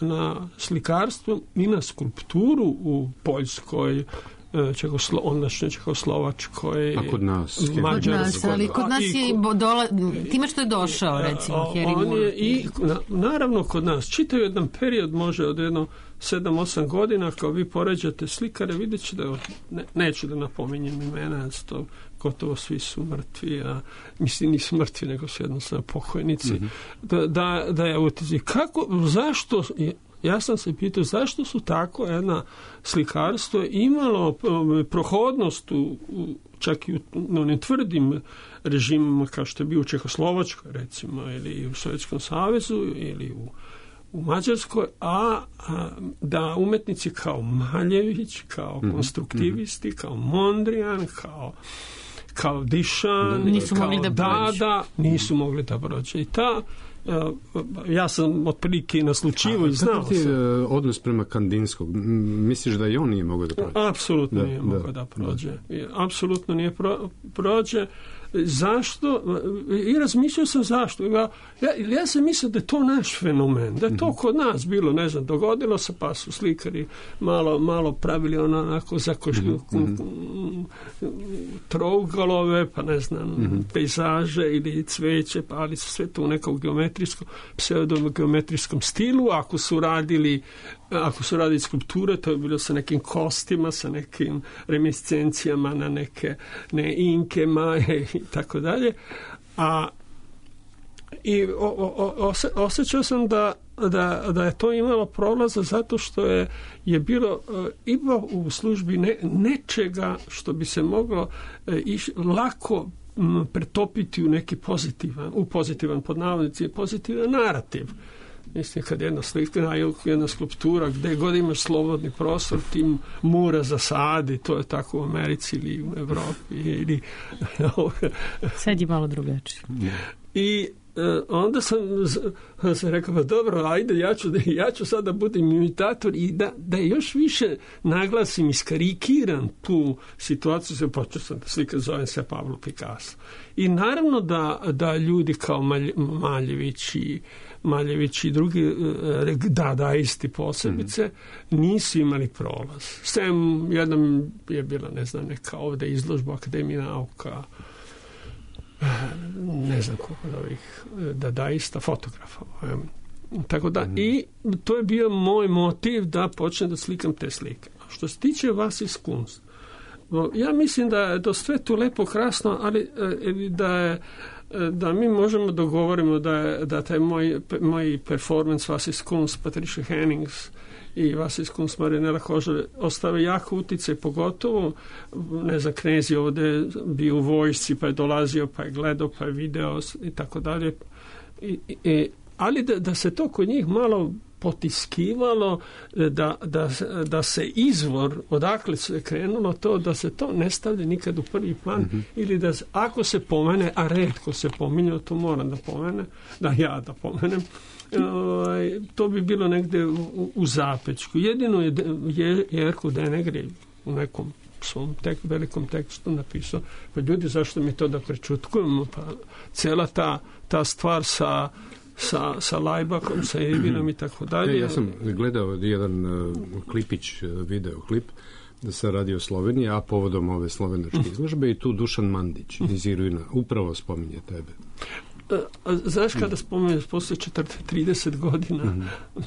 na slikarstvo i na skulpturu u Poljskoj, ondašnjoj Čehoslovačkoj, a kod nas Mađarskoj. Ali kod nas je time što je došao, recimo, Henry Moore. I naravno kod nas čitav jedan period, može od jedno 7-8 godina, kao vi poređate slikare, vidjet će da, neću da napominjem imena, to gotovo svi su mrtvi, a mislim nisu mrtvi, nego su jednostavno pokojnici, da je utjecaj. Zašto, ja sam se pitao, zašto su tako jedna slikarstvo imalo prohodnost čak i u onim tvrdim režimima kao što je bio u Čehoslovačkoj, recimo, ili u Sovjetskom savezu, ili u Mađarskoj, a da umetnici kao Maljević, kao konstruktivisti, kao Mondrian, kao Dišan, kao Dada, nisu mogli da prođe. I ja sam otprilike naslučivo i znao sam. Kakav je odnos prema Kandinskog? Misliš da i on nije mogao da prođe? Apsolutno nije mogao da prođe. Apsolutno nije prođe. Zašto? I razmišljao sam zašto. Ja sam mislio da je to naš fenomen, da je to kod nas bilo, ne znam, dogodilo se, pa su slikari malo pravili onako trougalove, pa ne znam, pejzaže ili cveće, pa ali su sve to u nekom pseudogeometrijskom stilu. Ako su radili skulpture, to je bilo sa nekim kostima, sa nekim reminiscencijama na neke inke, maje i tako dalje. I osjećao sam da je to imalo prolaza zato što je bilo u službi nečega što bi se moglo lako pretopiti u neki pozitivan pod navodnici, pozitivan narativ. Mislim, kad jedna slika, jedna skulptura, gde god imaš slobodni prostor, tim mura zasadi, to je tako u Americi ili u Evropi. Ili... Sad je malo drugačije. I onda sam rekao, pa dobro, ajde, ja ću sada budem imitator i da još više naglasim, iskarikiram tu situaciju, počeo sam da slikam, zovem se Pablo Picasso. I naravno da ljudi kao Maljević i drugi dadaisti posebice nisu imali prolaz. Sem jednom je bila, ne znam, neka ovde izložba Akademije nauka, ne znam koliko od ovih dadaista, fotografa. Tako da, i to je bio moj motiv da počnem da slikam te slike. A što se tiče vas iz Kunst, ja mislim da je to sve tu lepo, krasno, ali da mi možemo dogovorimo da taj moj performance vas iz Kunst, Patricia Hennings i vas iz Kunst Marinela Kožar ostave jako utjecaj, pogotovo, ne znam, Knez je ovde bio u vojsci, pa je dolazio, pa je gledao, pa je video i tako dalje. Ali da se to kod njih malo potiskivalo, da se izvor, odakle se krenulo to, da se to ne stavlja nikad u prvi plan, ili da ako se pomene, a retko se pominje, to moram da pomenem, to bi bilo negde u zapečku. Jedino je Jerko Denegri u nekom svom velikom tekstu napisao, pa ljudi, zašto mi to da prečutkujemo, pa cijela ta stvar sa Lajbakom, sa Evinom i tako dalje. Ja sam gledao jedan videoklip da se radi o Sloveniji, a povodom ove slovenačke izložbe, i tu Dušan Mandić iz Irvina upravo spominje tebe. Znaš, kada spomeneš posle 30 godina,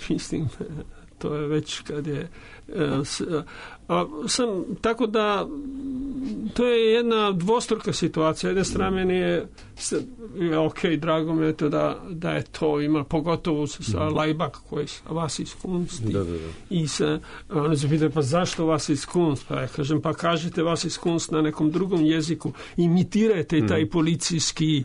mislim, to je već kad je tako da to je jedna dvostruka situacija. Jedne strane meni je ok, drago mi je to da je to ima, pogotovo sa Lajbak koji sa vas iz Kunst i se oni se pitaju, pa zašto vas iz Kunst? Pa ja kažem, pa kažete vas iz Kunst na nekom drugom jeziku, imitirajte taj policijski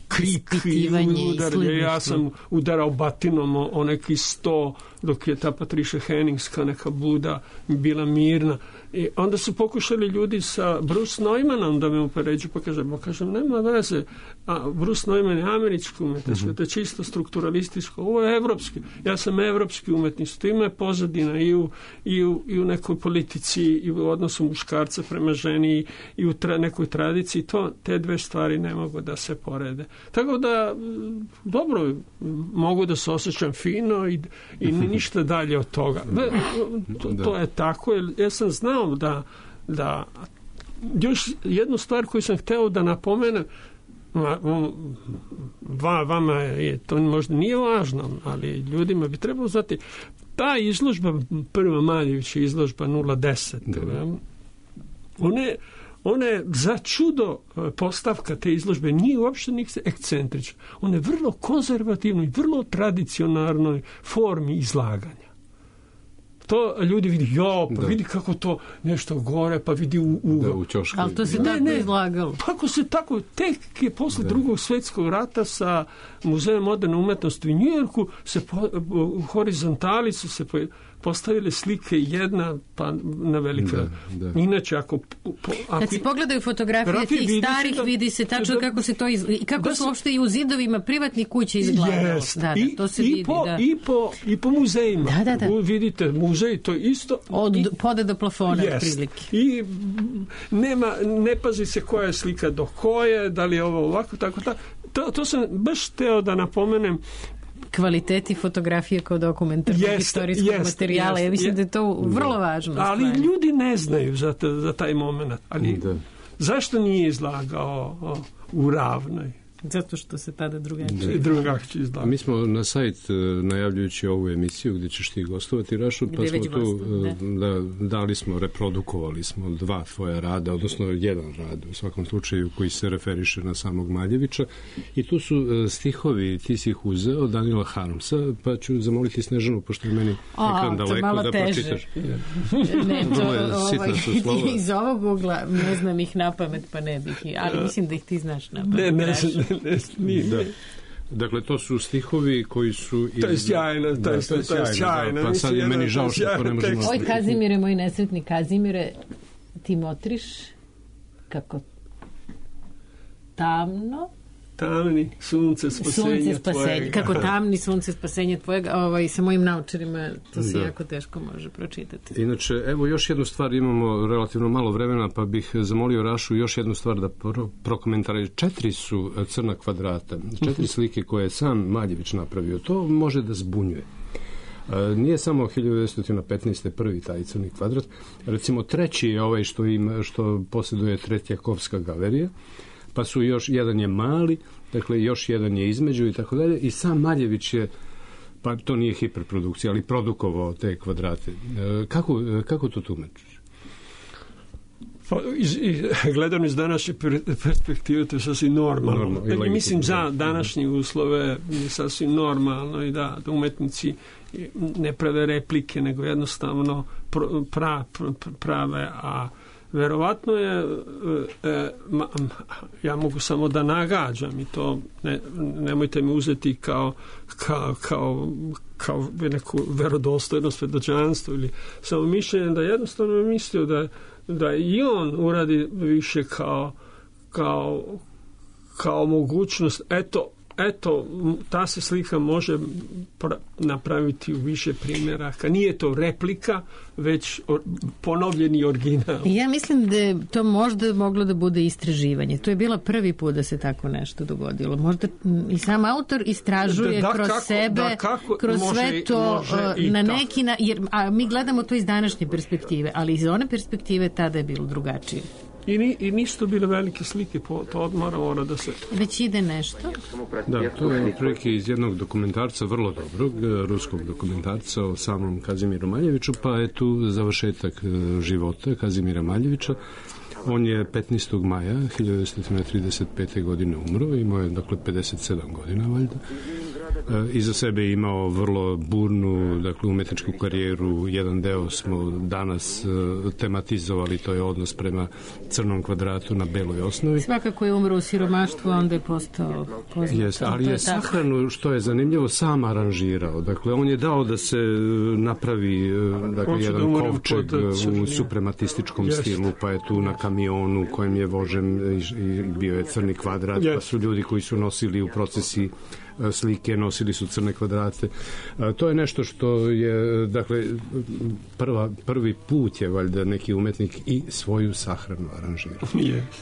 krik i udar. Ja sam udarao batinom o neki 100 dok je ta Patricia Hennings kao neka Buda bila mirna. I onda su pokušali ljudi sa Bruce Neumannom da me upoređu, pa kažem, nema veze, a Bruce Neumann je američki umetnički, to je čisto strukturalističko, ovo je evropski, ja sam evropski umetnik, to ima je pozadina i u nekoj politici i u odnosu muškarca prema ženi i u nekoj tradiciji, te dve stvari ne mogu da se porede. Tako da, dobro, mogu da se osjećam fino i ništa dalje od toga. To je tako, ja sam znao da još jednu stvar koju sam hteo da napomenem, vama je to možda nije važno, ali ljudima bi trebalo znati, ta izložba, prva Maljevića izložba 010, ona je za čudo postavka te izložbe, nije uopšte nikse ekscentrična, ona je vrlo konzervativno i vrlo tradicionalnoj formi izlaganja. To ljudi vidi, vidi kako to nešto gore, pa vidi u ćošku. Ali to se tako izlagalo. Kako se tako, tek je posle drugog svjetskog rata sa Muzejem moderne umetnosti u Njujorku se u horizontali su se postavile slike jedna pa na velika. Inače, kad se pogledaju fotografije tih starih, vidi se tačno kako se to izgleda. I kako su uopšte i u zidovima privatnih kuća izgledalo. To se vidi. I po muzejima. Vidite, muzej, to je isto. Od poda do plafona, prilike. I ne pazi se koja je slika do koje, da li je ovo ovako, tako. To sam baš teo da napomenem. Kvaliteti fotografije kao dokumentarnog istorijskog materijala. Ja mislim da je to vrlo važno. Ali ljudi ne znaju za taj moment. Ali zašto nije izlagao u Ravnoj? Zato što se tada drugačije. Drugačije izgleda. Mi smo na sajt, najavljujući ovu emisiju gdje ćeš ti gostovati, Rašo, pa smo tu dali smo, reprodukovali smo 2 tvoja rada, odnosno jedan rad u svakom slučaju koji se referiše na samog Maljevića, i tu su stihovi, ti si ih uzeo od Danila Harmsa, pa ću zamoliti Snežanu, pošto je meni ekran daleko, da pročitaš. Ne, to, iz ovog ugla ne znam ih na pamet, pa ne bih, ali mislim da ih ti znaš na pamet. Da. Dakle, to su stihovi koji su... To je sjajno, to je sjajno. Pa sad je meni žao što to ne možemo... Oj, Kazimire, moj nesretni Kazimire, ti motriš kako tamno... Tamni, sunce spasenja tvojega. Kako tamni, sunce spasenja tvojega, sa mojim naučarima to se jako teško može pročitati. Inače, evo još jednu stvar, imamo relativno malo vremena, pa bih zamolio Rašu još jednu stvar da prokomentara. 4 su crna kvadrata, 4 slike koje je sam Maljević napravio. To može da zbunjuje. Nije samo 1915. prvi taj crni kvadrat, recimo treći je ovaj što posjeduje Tretjakovska galerija, pa su još, jedan je mali, dakle još jedan je između i tako dalje, i sam Maljević je, pa to nije hiperprodukcija, ali produkovao te kvadrate. Kako to tumačiš? Gledano iz današnje perspektive, to je sasvim normalno. Mislim, za današnje uslove je sasvim normalno i da umetnici ne prave replike, nego jednostavno prave, a verovatno je, ja mogu samo da nagađam i to nemojte mi uzeti kao neku verodostojnost, svedočanstvo ili samo mišljenje, da jednostavno je mislio da i on uradi više kao mogućnost, eto, ta se slika može napraviti u više primjeraka. Nije to replika, već ponovljeni original. Ja mislim da je to možda moglo da bude istraživanje. To je bila prvi put da se tako nešto dogodilo. Možda i sam autor istražuje kroz sebe, kroz sve to na neki jer mi gledamo to iz današnje perspektive, ali iz one perspektive tada je bilo drugačije. I nisu to bile velike slike, to odmah mora da se... Već ide nešto? Da, to je otprilike iz jednog dokumentarca, vrlo dobrog, ruskog dokumentarca o samom Kazimiru Maljeviću, pa je tu završetak života Kazimira Maljevića. On je 15. maja 1935. godine umro, imao je dakle 57 godina valjda. Iza sebe je imao vrlo burnu, dakle, umetničku karijeru. Jedan deo smo danas tematizovali, to je odnos prema crnom kvadratu na beloj osnovi. Svakako je umro u siromaštvu, onda je postao poznat. Jest, ali je sahranu, što je zanimljivo, sam aranžirao. Dakle, on je dao da se napravi jedan kovčeg u suprematističkom stilu, pa je tu na kamionu kojem je vožen i bio je crni kvadrat, pa su ljudi koji su nosili u procesi slike, nosili su crne kvadrate. To je nešto što je, dakle, prvi put je valjda neki umetnik i svoju sahranu aranžirao.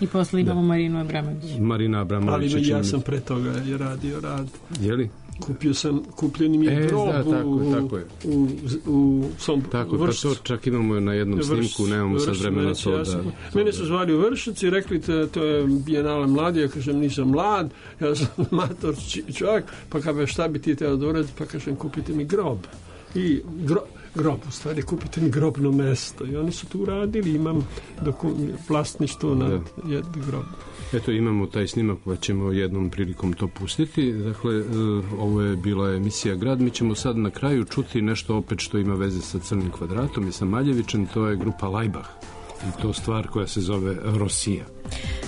I posle imamo Marinu Abramović. Marina Abramović. Ali ja sam pre toga je radio rad. Je li? Kupljeni mi je grob u Somboru. Tako, pa to čak imamo na jednom snimku, nemamo sad vremena to da... Mene su zvali u Vršac i rekli to je Bijenale mladi, ja kažem nisam mlad, ja sam mator čovjek, pa kaže šta bi ti teo da uradi, pa kažem kupite mi grob. I grob, u stvari, kupite mi grobno mesto. I oni su tu uradili, imam vlasništvo na jednu grob. Eto, imamo taj snimak, pa ćemo jednom prilikom to pustiti. Dakle, ovo je bila emisija Grad. Mi ćemo sad na kraju čuti nešto opet što ima veze sa crnim kvadratom i sa Maljevićem. To je grupa Laibach. I to stvar koja se zove Rosija.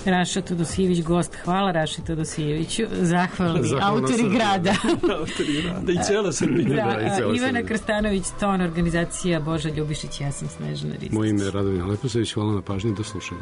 Raša Todosijević, gost. Hvala Raši Todosijeviću. Zahvalni autori Grada. Autori Grada i cijela Srbija. Ivana Krstanović, ton, organizacija Boža Ljubišić, ja sam Snežana Ristić. Moje ime je Radovina Leposević, hvala na pažnji, do slušanja.